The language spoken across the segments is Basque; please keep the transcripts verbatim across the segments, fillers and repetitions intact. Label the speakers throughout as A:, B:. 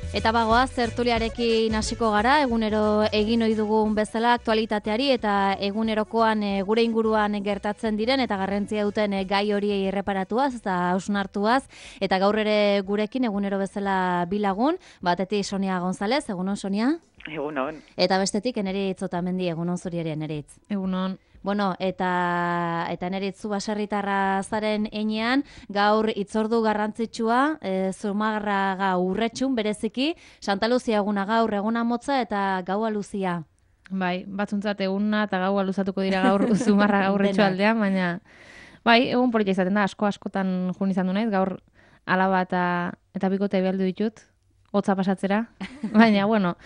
A: Eta bagoaz, tertuliarekin hasiko gara, egunero egin ohi dugun bezala aktualitateari eta egunerokoan e, gure inguruan gertatzen diren eta garrantzia duten e, gai horiei erreparatuaz eta hausnartuaz. Eta gaur ere gurekin egunero bezala bilagun, batetik Sonia González, egunon Sonia?
B: Egunon.
A: Eta bestetik Eneritz Otamendi, egunon zuri ere Eneritz.
C: Egunon.
A: Bueno, eta eta Eneritz zu baserritarra zaren heinean, gaur hitzordu garrantzitsua, e, Zumarraga urretxun bereziki, Santa Luzia eguna gaur, eguna motza eta gaua luzia.
C: Bai, batzuntzat eguna eta gaua luzatuko dira gaur Zumarraga urretxu aldean, baina bai, egun politia izaten da, asko askotan jun izan du naiz, gaur alaba eta, eta bikote behaldu ditut, hotza pasatzera, baina, bueno,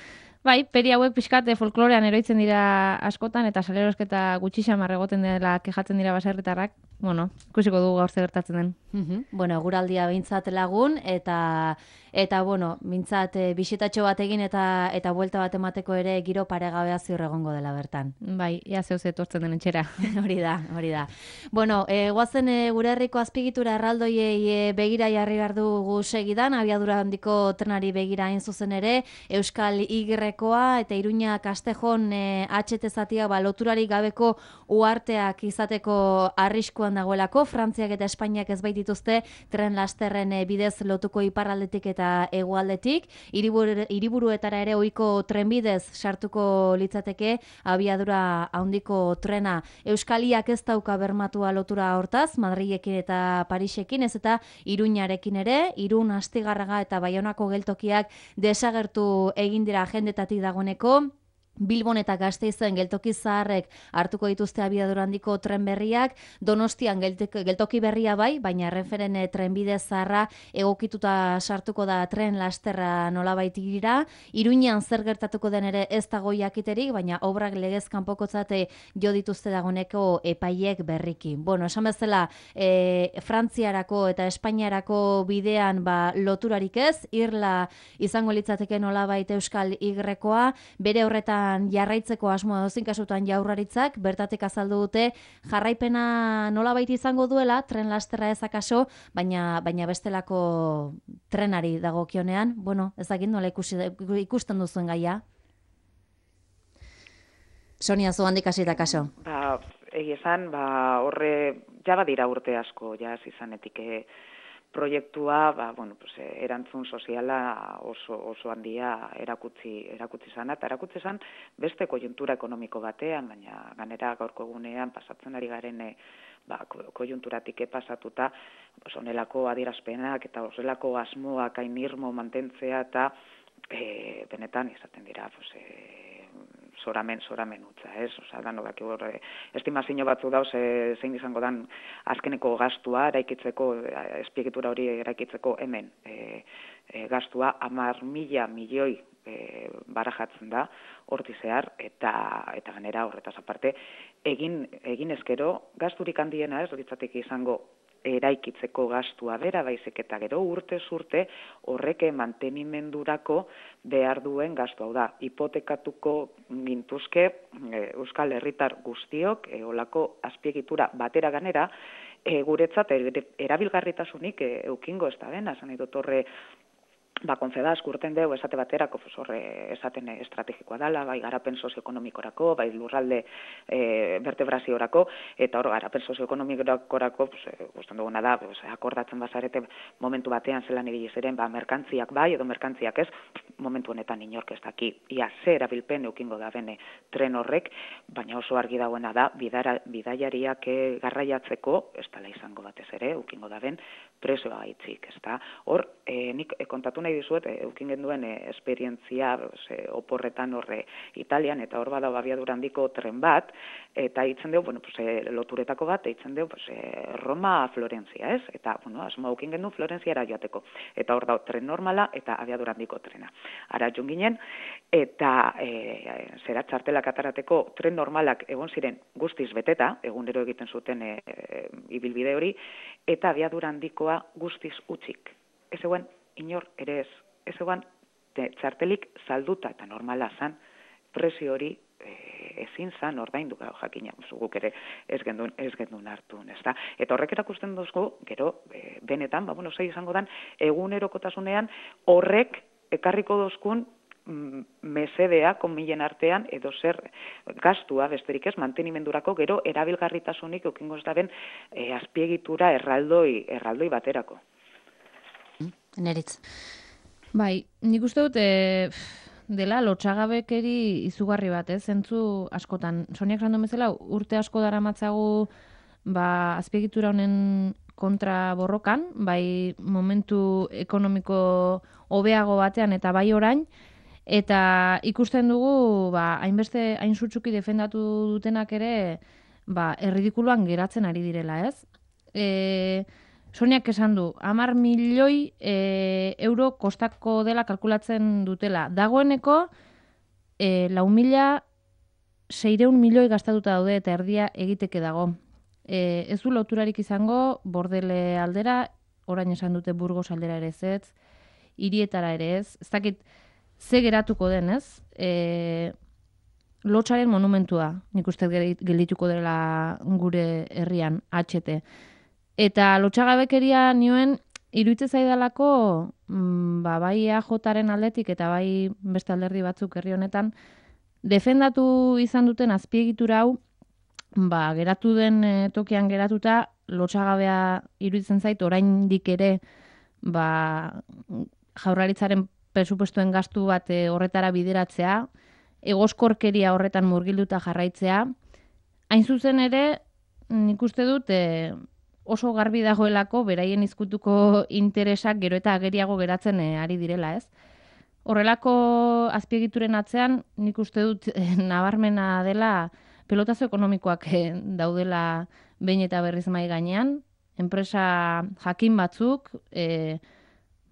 C: bai, peri hauek pixkat folklorean eroitzen dira askotan, eta salerosketa gutxi xamar egoten dela kejatzen dira baserritarrak, bueno, ikusiko dugu gaur ze gertatzen den.
A: Uh-huh. Bueno, eguraldia behintzat lagun, eta eta bueno, mintzat e, bisitatxo bat egin eta eta buelta bat emateko ere giro paregabea ziur egongo dela bertan.
C: Bai, ia zeu etortzen den etxera.
A: hori da, hori da. Bueno, e, guazen e, gure herriko azpigitura erraldoiei e, begira jarri behar dugu segidan, abiadura handiko trenari begira hain zuzen ere, Euskal Y-koa eta Iruña Kastejon e, H T zatia ba, loturarik gabeko uharteak izateko arriskuan dagoelako, Frantziak eta Espainiak ez baitituzte tren lasterren e, bidez lotuko iparraldetik eta hegoaldetik, hiriburu, hiriburuetara ere ohiko trenbidez sartuko litzateke abiadura handiko trena. Euskaliak ez dauka bermatua lotura hortaz, Madrilekin eta Parisekin, ez eta Iruñarekin ere, Irun, Astigarraga eta Baionako geltokiak desagertu egin dira agendetatik dagoeneko. Bilbon eta Gasteizen geltoki zaharrek hartuko dituzte abiadura handiko tren berriak, Donostian geltoki berria bai, baina Renferen trenbide zaharra egokituta sartuko da tren lasterra nolabait dira. Iruñan zer gertatuko den ere ez dago jakiterik, baina obrak legez kanpokotzate jo dituzte dagoeneko epaiek berriki. Bueno, esan bezala, e, Frantziarako eta Espainiarako bidean ba, loturarik ez, irla izango litzateke nolabait Euskal Y-koa, bere horretan jarraitzeko asmoa dozin kasutan Jaurlaritzak bertatik azaldu dute jarraipena nolabait izango duela, tren lasterra ezakaso, baina baina bestelako trenari dagokionean. Bueno, ez dakit nola ikusi, ikusten duzuen gaia. Sonia, zu handik hasita kaso.
B: Ba, egia esan, ba, horre, ja badira urte asko, ja izanetik e, proiektua, ba, bueno, pues, erantzun soziala oso, oso handia erakutsi, erakutsi zan, eta erakutsi zan beste koiuntura ekonomiko batean, baina ganera gaurko egunean pasatzen ari garen e, ba, koiunturatik pasatuta, pues, onelako adierazpenak eta oselako asmoak hain irmo mantentzea eta e, benetan izaten dira, pues, e, zoramen, zoramen utza, ez? Osa, danok horre, estimazio batzu dauz, e, zein izango dan azkeneko gastua, eraikitzeko, espiegitura hori eraikitzeko hemen e, e, gastua, hamar mila milioi e, barajatzen da, horti zehar, eta, eta ganera horretaz aparte, egin, egin ezkero, gasturik handiena ez, horietzatik izango eraikitzeko gastua bera, baizik eta gero urte urte horrek mantenimendurako behar duen gastu hau da. Hipotekatuko gintuzke e, Euskal Herritar guztiok, e, olako azpiegitura batera ganera, e, guretzat erabilgarritasunik e, eukingo ez da bena, esan nahi dut horre, ba, konfedazk urten deu esate baterako, pues, horre esaten estrategikoa dela, bai garapen sozioekonomikorako, bai lurralde e, vertebraziorako, eta hor garapen sozioekonomikorako, pues, guztan duguna da, pues, akordatzen bazarete momentu batean zelan ibili ziren, ba, merkantziak bai, edo merkantziak ez, momentu honetan inork ez daki, ia ze erabilpen eukingo da bene tren horrek, baina oso argi dagoena da, bidara, bidaiariak garraiatzeko, ez dela izango batez ere, eukingo da ben, prezioa gaitzik, ez da. Hor, e, nik e, kontatu nahi dizuet, e, eukin genduen e, esperientzia e, oporretan horre Italian, eta hor bada abiadura handiko tren bat, eta hitzen dugu, bueno, pues, e, loturetako bat, hitzen dugu, pues, e, Roma Florentzia, ez? Eta, bueno, asmo eukin gendu Florentziara joateko. Eta hor da, tren normala eta abiadura handiko trena. Ara joan ginen, eta e, zera txartelak atarateko tren normalak egon ziren guztiz beteta, egunero egiten zuten e, e, ibilbide hori, eta abiadura handikoa guztiz utzik. Ez egoen, inor ere ez, ez egoen txartelik salduta eta normala zan, prezio hori e, ezin zan ordaindu gau jakina, guk ere ez gendun, ez gendun hartu, ez da. Eta horrek erakusten duzko, gero, e, benetan, ba, bueno, zei izango dan, egunerokotasunean horrek ekarriko dozkun mesedea konmilen artean edo zer gastua besterik ez mantenimendurako gero erabilgarritasunik eukingo ez daben e, azpiegitura erraldoi, erraldoi baterako.
A: Neritz.
C: Bai, nik uste dut e, dela lotsagabekeri izugarri bat, ez? Zentzu askotan. Soniak rando bezala urte asko daramatzagu ba, azpiegitura honen kontra borrokan, bai momentu ekonomiko hobeago batean eta bai orain, eta ikusten dugu, ba, hainbeste, hain sutsuki defendatu dutenak ere, ba, erridikuluan geratzen ari direla, ez? E, Soniak esan du, hamar milioi e, euro kostako dela kalkulatzen dutela. Dagoeneko, e, lau mila seireun milioi gastatuta daude eta erdia egiteke dago. E, ez du loturarik izango, Bordele aldera, orain esan dute Burgos aldera ere ez, hirietara ere ez, ez dakit, ze geratuko den, ez? E, Lotsaren monumentua, nik uste geldituko dela gure herrian, H T. Eta lotsagabekeria nioen, iruditzen zaidalako, mm, ba, bai E A Jaren aldetik eta bai beste alderdi batzuk herri honetan, defendatu izan duten azpiegitura hau, ba, geratu den e, tokian geratuta, lotsagabea iruditzen zait, oraindik ere, ba, Jaurlaritzaren presupuestuen gastu bat e, horretara bideratzea, egoskorkeria horretan murgilduta jarraitzea. Hain zuzen ere, nik uste dut e, oso garbi dagoelako beraien izkutuko interesak gero eta ageriago geratzen e, ari direla, ez? Horrelako azpiegituren atzean, nik uste dut e, nabarmena dela pelotazo ekonomikoak e, daudela behin eta berriz mai gainean, enpresa jakin batzuk, e,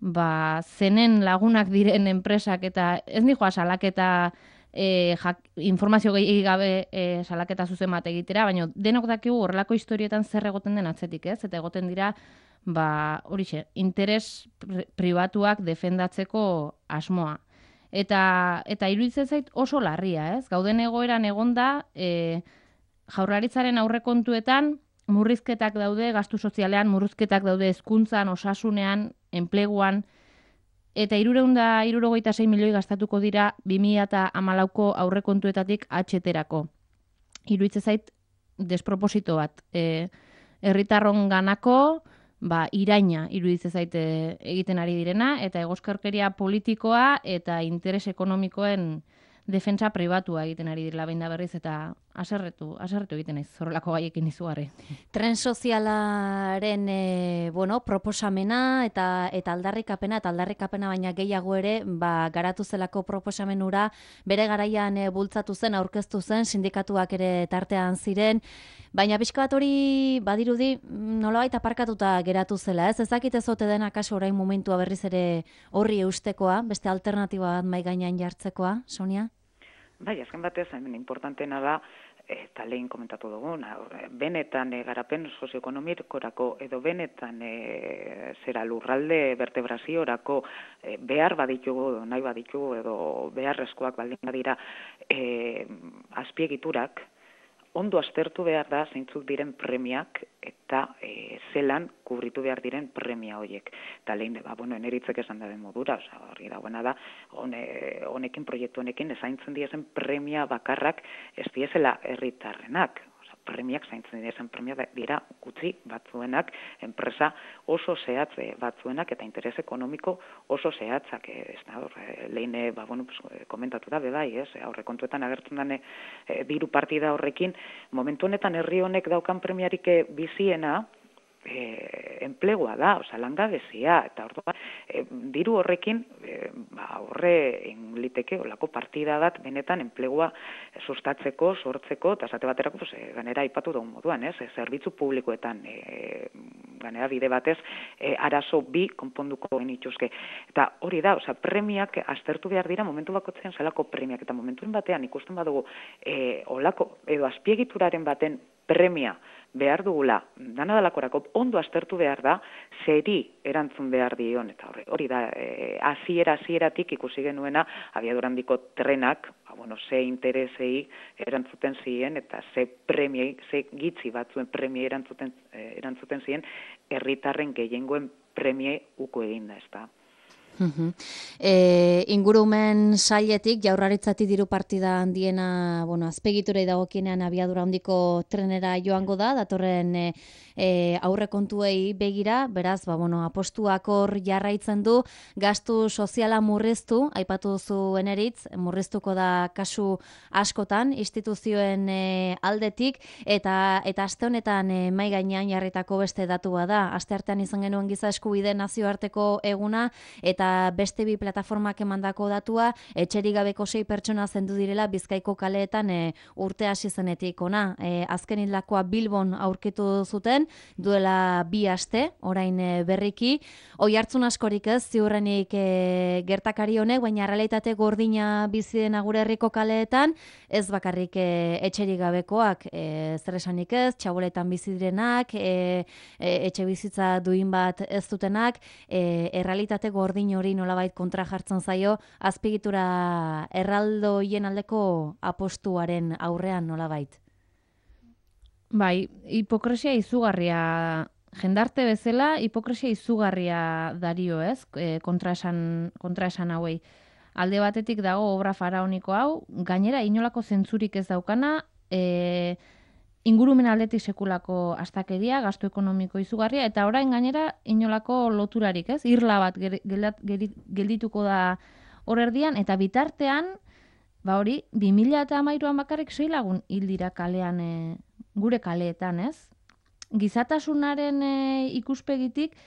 C: ba, zenen lagunak diren enpresak eta ez nijoa salaketa e, jak, informazio gehi gabe e, salaketa zuzen bat egitera, baina denok dakigu horrelako historietan zer egoten den atzetik, ez? Eta egoten dira, ba, horixe, interes pribatuak defendatzeko asmoa. Eta, eta iruditzen zait oso larria, ez? Gauden egoeran egonda, e, Jaurlaritzaren aurrekontuetan murrizketak daude, gastu sozialean, murrizketak daude hezkuntzan, osasunean, enpleguan, eta hirurehun eta hirurogeita sei milioi gastatuko dira bi mila hamalauko aurrekontuetatik H T-rako. Iruditzen zait desproposito bat. E, herritarron ganako, ba, iraina iruditzen zait e, egiten ari direna, eta egoskorkeria politikoa eta interes ekonomikoen defentsa pribatua egiten ari direla behin da berriz, eta aserretu, aserretu egiten naiz horrelako gaiekin izugarri.
A: Tren sozialaren e, bueno, proposamena eta eta aldarrikapena eta aldarrikapena baina gehiago ere, ba, garatu zelako proposamenura bere garaian e, bultzatu zen, aurkeztu zen, sindikatuak ere tartean ziren, baina pixka bat hori badirudi nolabait aparkatuta geratu zela, ez? Ezakit ez ote den akaso orain momentua berriz ere horri eustekoa, beste alternatiba bat mai gainean jartzekoa, Sonia?
B: Bai, azken batez, hemen importantena da, eta lehen komentatu dugun, benetan e, garapen sozioekonomikorako edo benetan e, zera lurralde vertebraziorako e, behar baditugu, nahi baditugu edo beharrezkoak baldin badira e, azpiegiturak, ondo aztertu behar da zeintzuk diren premiak eta e, zelan kubritu behar diren premia horiek. Eta lehen, ba, bueno, eneritzek esan da den modura, oza, hori dagoena da, hone, honekin, proiektu honekin, ezaintzen diezen premia bakarrak ez diezela herritarrenak. Premiak zaintzen diren premia dira gutxi batzuenak, enpresa oso zehatze batzuenak eta interes ekonomiko oso zehatzak. Ez da, lehen, ba, bueno, pues, komentatu da, bebai, ez, aurrekontuetan agertzen dane e, diru partida horrekin, momentu honetan herri honek daukan premiarik biziena, E, enplegua da, oza, langabezia, eta orduan, e, diru horrekin, e, ba, horre ingliteke, olako partida bat, benetan enplegua sustatzeko, sortzeko, eta esate baterako, pues, e, ganera aipatu dugun moduan, ez, e, zerbitzu publikoetan, e, ganera bide batez, e, arazo bi konponduko genituzke. Eta hori da, oza, premiak aztertu behar dira, momentu bakotzean zelako premiak, eta momentuen batean ikusten badugu, e, olako, edo azpiegituraren baten premia, behar dugula, dana dalakorako ondo aztertu behar da, zeri erantzun behar dion, eta hori, hori da, e, aziera, azieratik ikusi genuena, abiadurandiko trenak, ba, bueno, ze interesei erantzuten ziren, eta ze premiei, ze gitzi batzuen premiei erantzuten, e, erantzuten ziren, herritarren gehiengoen premiei uko eginda, ez da.
A: E, ingurumen sailetik jaurlaritzatik diru partida handiena, bueno, azpegiturei dagokienean abiadura handiko trenera joango da, datorren e, e, aurrekontuei begira, beraz, ba, bueno, apostuak hor jarraitzen du, gastu soziala murriztu, aipatu duzu eneritz, murriztuko da kasu askotan, instituzioen e, aldetik, eta eta aste honetan e, mai gainean jarritako beste datua da. Aste artean izan genuen giza eskubide nazioarteko eguna, eta beste bi plataformak emandako datua, etxerik gabeko sei pertsona zendu direla Bizkaiko kaleetan e, urte hasi zenetik ona. E, azken hildakoa Bilbon aurkitu zuten, duela bi aste, orain e, berriki. Oihartzun askorik ez, ziurrenik e, gertakari honek, baina realitate gordina bizi dena gure herriko kaleetan, ez bakarrik e, etxerik gabekoak, e, zer esanik ez, txaboletan bizi direnak, e, e, etxe bizitza duin bat ez dutenak, e, errealitate gordin hori nolabait kontra jartzen zaio, azpiegitura erraldoien aldeko apostuaren aurrean nolabait.
C: Bai, hipokresia izugarria, jendarte bezala, hipokresia izugarria dario, ez? E, kontraesan, kontraesan hauei. Alde batetik dago obra faraoniko hau, gainera inolako zentzurik ez daukana, e, ingurumen aldetik sekulako astakeria, gastu ekonomiko izugarria, eta orain gainera inolako loturarik, ez? Irla bat geldituko da hor erdian, eta bitartean, ba hori, bi mila hamairuan bakarrik sei lagun hil dira kalean, e, gure kaleetan, ez? Gizatasunaren e, ikuspegitik,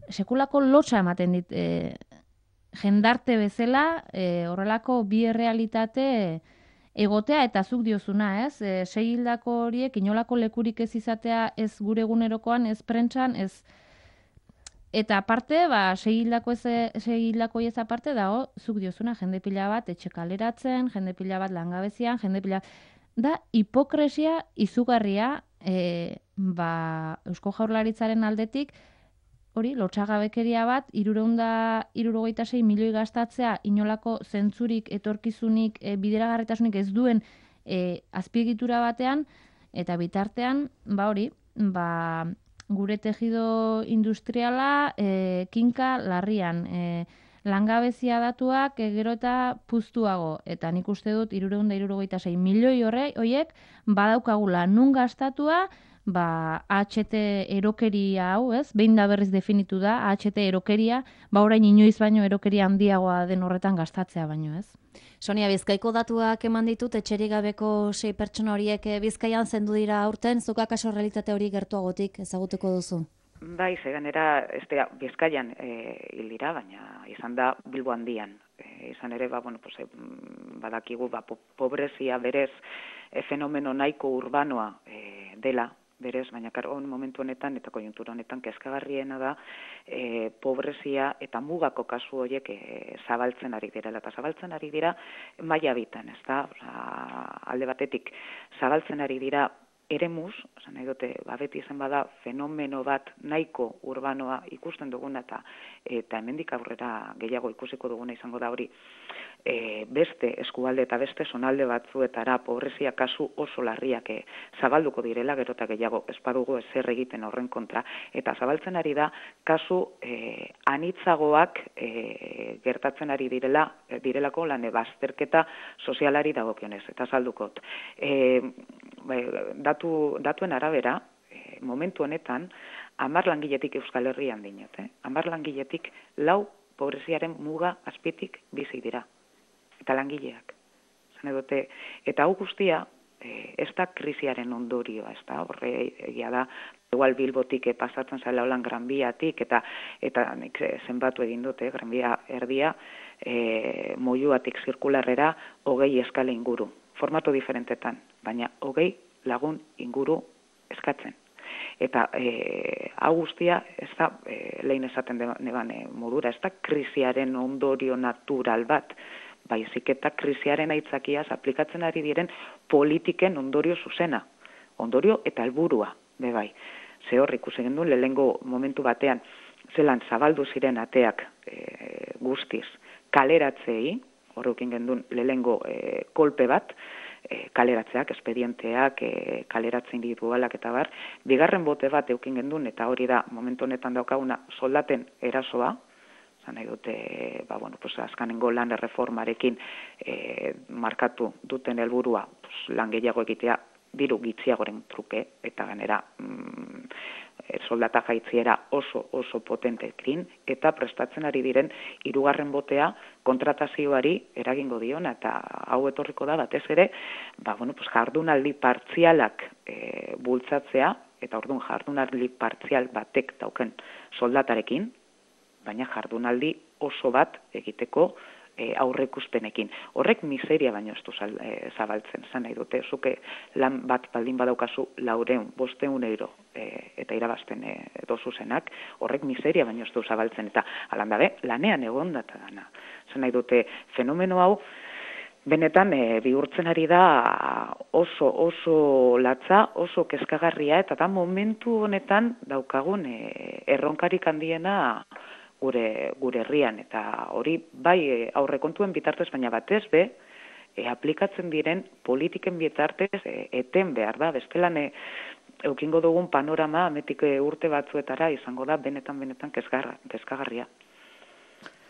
C: sekulako lotsa ematen dit, e, jendarte bezala, e, horrelako bi errealitate egotea eta zuk diozuna, ez? E, sei hildako horiek inolako lekurik ez izatea, ez gure egunerokoan, ez prentsan, ez... Eta aparte, ba, sei hildako ez, sei hildako ez aparte dago, zuk diozuna, jende pila bat etxe kaleratzen, jende pila bat langabezian, jende pila... Da, hipokresia izugarria, e, ba, Eusko Jaurlaritzaren aldetik, hori, lotsagabekeria bat, irureunda, irurogeita sei milioi gastatzea, inolako zentzurik, etorkizunik, e, bideragarritasunik ez duen e, azpiegitura batean, eta bitartean, ba hori, ba, gure tejido industriala e, kinka larrian, e, langabezia datuak e, gero eta puztuago, eta nik uste dut irureunda irurogeita sei milioi horre, hoiek, badaukagula nun gastatua, ba, A H T erokeria hau, ez? Behin da berriz definitu da, A H T erokeria, ba orain inoiz baino erokeria handiagoa den horretan gastatzea baino, ez?
A: Sonia, Bizkaiko datuak eman ditut, etxerik gabeko sei pertsona horiek Bizkaian zendu dira aurten, zuk akaso realitate hori gertuagotik ezagutuko duzu?
B: Bai, ze ganera, ez dira, Bizkaian e, hil dira, baina izan da Bilbo handian. E, izan ere, ba, bueno, pues, e, badakigu, ba, po, pobrezia berez e, fenomeno nahiko urbanoa e, dela, berez, baina karo, momentu honetan eta konjuntura honetan kezkagarriena da e, pobrezia eta mugako kasu horiek e, zabaltzen ari dira. Eta zabaltzen ari dira maila bitan, ez da? Alde batetik zabaltzen ari dira eremuz, esan nahi dute, ba, beti izan bada fenomeno bat nahiko urbanoa ikusten duguna eta eta hemendik aurrera gehiago ikusiko duguna izango da hori e, beste eskualde eta beste zonalde batzuetara pobrezia kasu oso larriak e, zabalduko direla, gero eta gehiago espadugu ezer egiten horren kontra, eta zabaltzen ari da kasu e, anitzagoak e, gertatzen ari direla, e, direlako lan bazterketa sozialari dagokionez, eta zaldukot. E, datu, datuen arabera, e, momentu honetan, hamar langiletik Euskal Herrian dinot, eh? hamar langiletik lau pobreziaren muga azpitik bizi dira. Eta langileak. Zane dute, eta hau guztia, e, ez da krisiaren ondorioa, ez da, horre egia da, igual Bilbotik e, pasatzen zaila holan Granbiatik, eta eta nik zenbatu egin dute, Granbia erdia, e, moiuatik zirkularrera, hogei eskale inguru. Formato diferentetan, baina hogei lagun inguru eskatzen. Eta e, hau guztia, ez da, e, lehen esaten neban e, modura, ez da krisiaren ondorio natural bat, baizik eta krisiaren aitzakiaz aplikatzen ari diren politiken ondorio zuzena, ondorio eta helburua, bebai. Ze hor ikusi gendu, lehengo momentu batean, zelan zabaldu ziren ateak e, guztiz kaleratzei, horrekin gendun lehengo e, kolpe bat, e, kaleratzeak, espedienteak, e, kaleratze individualak eta bar, bigarren bote bat eukin gendun, eta hori da momentu honetan daukaguna soldaten erasoa, Zan nahi dute, ba, bueno, pues, azkanengo lan erreformarekin e, markatu duten helburua pues, lan gehiago egitea, diru gitziagoren truke, eta ganera mm, soldata jaitziera oso oso potentekin, eta prestatzen ari diren hirugarren botea kontratazioari eragingo diona, eta hau etorriko da batez ere, ba, bueno, pues, jardunaldi partzialak e, bultzatzea, eta orduan jardunaldi partzial batek dauken soldatarekin, baina jardunaldi oso bat egiteko e, aurreikuspenekin. Horrek miseria baino ez du e, zabaltzen, zan nahi dute, zuke lan bat baldin badaukazu laureun, bosteun euro e, eta irabazten e, dozuzenak, horrek miseria baino ez du zabaltzen, eta alan dabe, lanean egon data dana. Zan nahi dute, fenomeno hau, benetan e, bihurtzen ari da oso oso latza, oso kezkagarria, eta da momentu honetan daukagun e, erronkarik handiena gure gure herrian, eta hori bai e, aurrekontuen bitartez, baina batez be, e, aplikatzen diren politiken bitartez e, eten behar da, bestelan e, eukingo dugun panorama ametik e, urte batzuetara izango da benetan-benetan kezgarra, kezkagarria.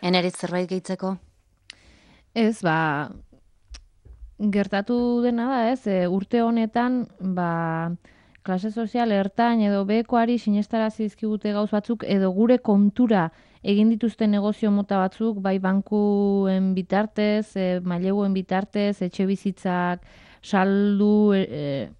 A: Eneritz zerbait gehitzeko?
C: Ez, ba, gertatu dena da, ez, e, urte honetan, ba, klase sozial ertain edo bekoari sinestarazi dizkigute gauz batzuk, edo gure kontura egin dituzte negozio mota batzuk, bai bankuen bitartez, e, maileguen bitartez, etxe bizitzak, saldu, e,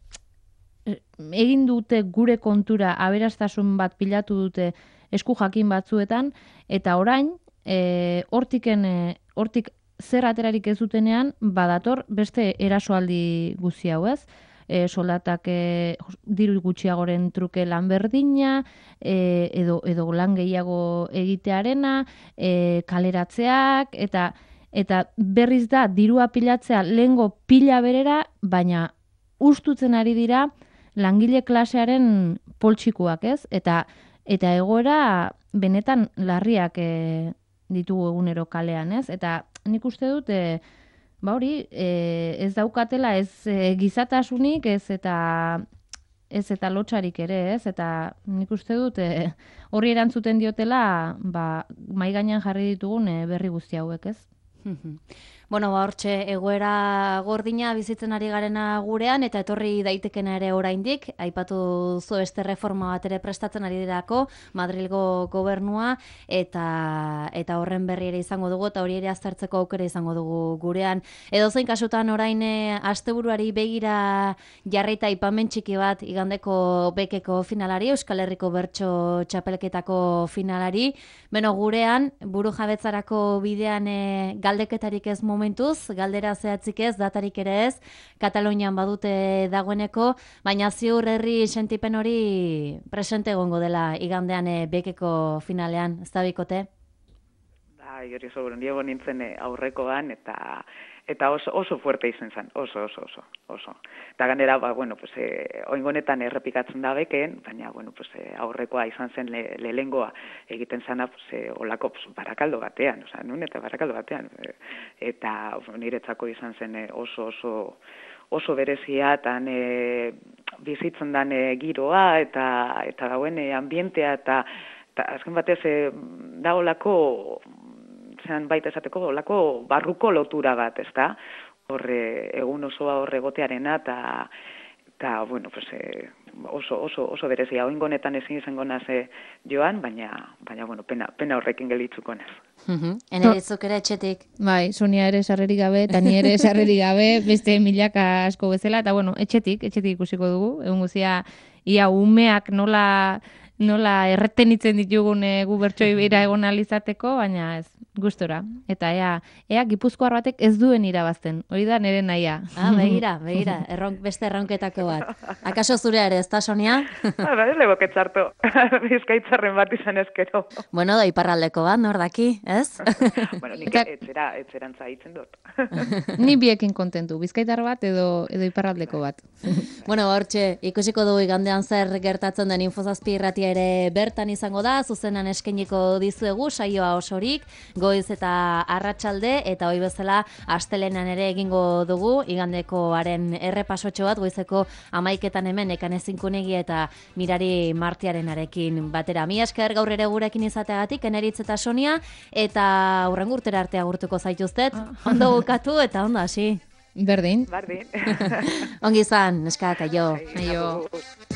C: e, egin dute gure kontura aberastasun bat pilatu dute esku jakin batzuetan, eta orain, e, hortiken, e, hortik zer aterarik ez dutenean, badator beste erasoaldi guzti hau, ez? E, soldatak e, diru gutxiagoren truke lan berdina, e, edo, edo lan gehiago egitearena, e, kaleratzeak, eta eta berriz da dirua pilatzea lehengo pila berera, baina ustutzen ari dira langile klasearen poltsikuak, ez? Eta, eta egoera benetan larriak e, ditugu egunero kalean, ez? Eta nik uste dut, e, ba hori, e, ez daukatela ez e, gizatasunik, ez eta ez eta lotxarik ere, ez? Eta nik uste dut e, horri erantzuten diotela, ba, mai gainean jarri ditugun e, berri guzti hauek, ez?
A: Bueno, ba, hortxe, egoera gordina bizitzen ari garena gurean, eta etorri daitekena ere oraindik, aipatu zu beste reforma bat ere prestatzen ari dirako, Madrilgo gobernua, eta eta horren berri ere izango dugu, eta hori ere aztertzeko aukera izango dugu gurean. Edozein kasutan orain asteburuari begira jarrita aipamen txiki bat igandeko bekeko finalari, Euskal Herriko Bertso Txapelketako finalari, beno gurean, buru jabetzarako bidean e, galdeketarik ez momentuz, galdera zehatzik ez, datarik ere ez, Katalunian badute dagoeneko, baina ziur herri sentipen hori presente egongo dela igandean e, bekeko finalean, ez da bikote?
B: Bai, hori oso, niego nintzen aurrekoan, eta eta oso, oso fuerte izan zen, oso, oso, oso, oso. Eta ganera, ba, bueno, pues, e, oingonetan errepikatzen da beken, baina, bueno, pues, e, aurrekoa izan zen le, lehengoa egiten zana, pues, e, olako pues, barakaldo batean, oza, nun eta barakaldo batean. E, eta niretzako izan zen e, oso, oso, oso berezia, eta e, bizitzen dan e, giroa, eta, eta dauen e, ambientea, eta, eta azken batez e, da olako, zean baita esateko, olako barruko lotura bat, ezta? Horre, egun osoa horre gotearena, eta, eta bueno, pues, e, oso, oso, oso berezia, oingonetan ezin izango naze joan, baina, baina bueno, pena, pena horrekin gelitzuko naz.
A: Eneritzuk ere etxetik.
C: Bai, Sonia ere sarrerik gabe, eta ni ere sarrerik gabe, beste milaka asko bezala, eta bueno, etxetik, etxetik ikusiko dugu, egun guzia, ia umeak nola, nola erretenitzen ditugun e, gu bertsoi bera egon alizateko, baina ez, gustora. Eta ea, ea Gipuzkoar batek ez duen irabazten. Hori da nire nahia.
A: Ah, begira, begira, erronk, beste erronketako bat. Akaso zurea ere, ez da, Sonia?
B: Ba, ez lego ketzartu. Bizkaitzarren bat izan ezkero.
A: Bueno, da iparraldeko bat, nor daki, ez?
B: Bueno, nik
C: Eta...
B: etzera, etzerantza hitzen dut.
C: Ni biekin kontentu, bizkaitar bat edo, edo iparraldeko bat.
A: Bueno, hortxe, ikusiko dugu igandean zer gertatzen den Infozazpi irratia ere bertan izango da, zuzenan eskainiko dizuegu saioa osorik, goiz eta arratsalde eta hoi bezala astelenan ere egingo dugu, igandekoaren errepasotxo bat, goizeko amaiketan hemen Ekanezinkunegi eta Mirari Martiarenarekin batera. Mi esker gaur ere gurekin izateagatik, Eneritz eta Sonia, eta hurrengo urtera arte agurtuko zaituztet, ondo bukatu eta ondo hasi.
C: Berdin.
B: Bardin.
A: Ongi izan, neskak, aio.
C: Aio.
B: Aio.